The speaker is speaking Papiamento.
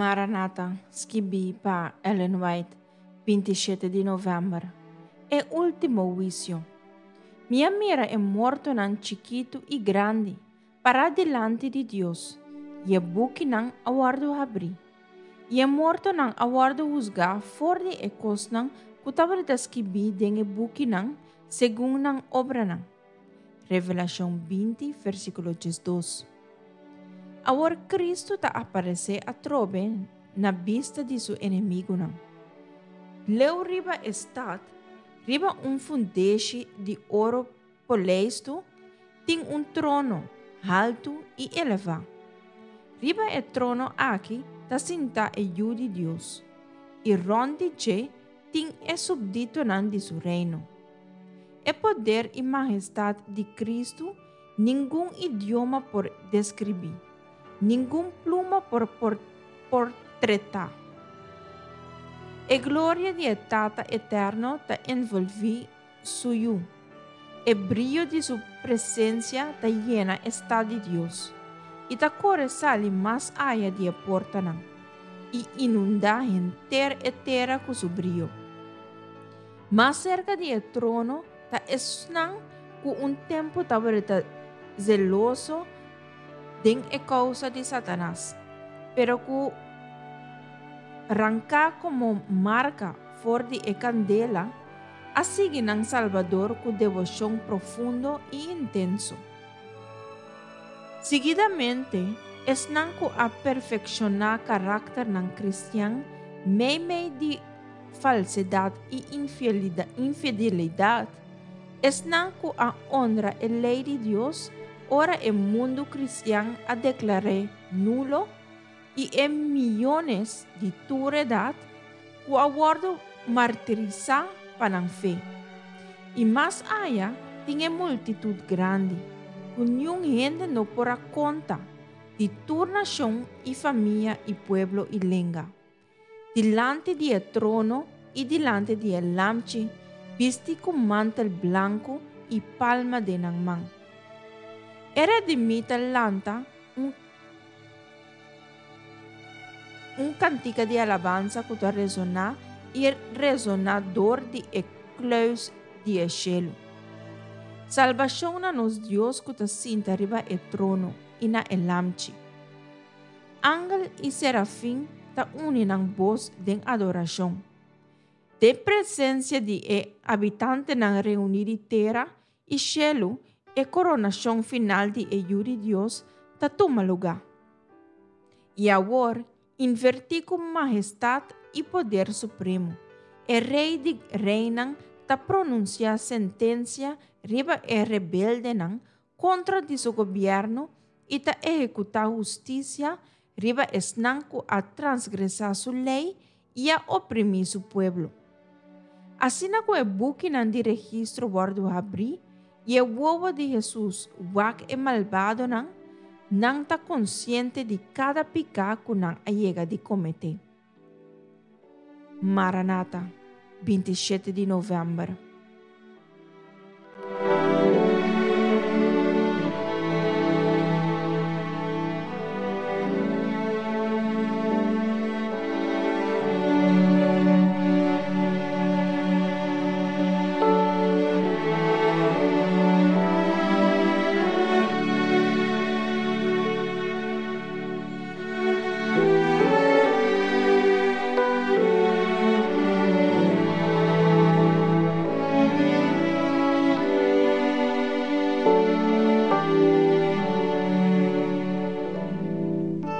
Maranata, skibí pa Ellen White, 27 di novèmber. E último huisio. Mi a mira e mortonan chikitu i grandi, pará dilanti di Dios, i e bukinan a wòrdu habrí. I e mortonan a wòrdu husgá for di e kosnan ku tabata skibí den e bukinan segun nan obranan. Revelashon 20, versíkulo 12. Awor Kristu ta aparesé atrobe na bista di su enemigunan. Leu riba e stat, riba un fundeshi di oro poleistu, tin un trono haltu i elevá. Riba e trono aki ta sintá e Yu di Dios, i rònt di dje tin e supditonan di su Reino. E poder i mahestat di Kristu ningun idioma por deskribí, ningun pluma por portretá. E gloria di e Tata Eterno ta envolví Su Yu. E brio di Su presensia ta yena e stat di Dios i ta kore sali mas aya di e portanan i inundá henter e tera ku su brio. Mas serka di e trono ta esnan ku un tempu tabata zeloso den e kousa di Satanas, pero ku ranká komo marka for di e kandela, a sigui nan Salbador ku deboshon profundo i intenso. Seguidamente, esnan ku a perfekshoná karakternan kristian meimei di falsedat i infidelidat, esnan ku a onra e lei di Dios ora e mundu kristian a deklar'é nulo, i e miyones di tur edat ku a wòrdu martirisá pa nan fe. I mas aya tin e multitut grandi, ku niun hende no por a konta, di tur nashon i famia i pueblo i lenga. Dilanti di e trono i dilanti di e Lamchi, bisti ku mantel blanku i palma den nan man. E redimí ta lanta un Un kantika di alabansa ku ta resoná i resoná dor di e kluis di e shelu. Salbashon na nos Dios ku ta sinta riba e trono i na e Lamchi. Angel i serafin ta uni nan bos den adorashon. Den presensia di e habitantenan reuní di tera i shelu, e koronashon final di e Yu di Dios ta tuma lugá. I awor, invertí ku mahestat i poder supremo, e Rei di reinan ta pronunsiá sentensia riba e rebeldenan kontra di su gobièrnu i ta ehekutá hustisia riba esnan ku a transgresá su lei i a oprimí su pueblo. Asina ku e bukinan di registro wòrdu habrí i e wowo di Hesus wak e malbadonan, nan ta konsiente di kada piká ku nan a yega di kometé. Maranata, 27 di novèmber.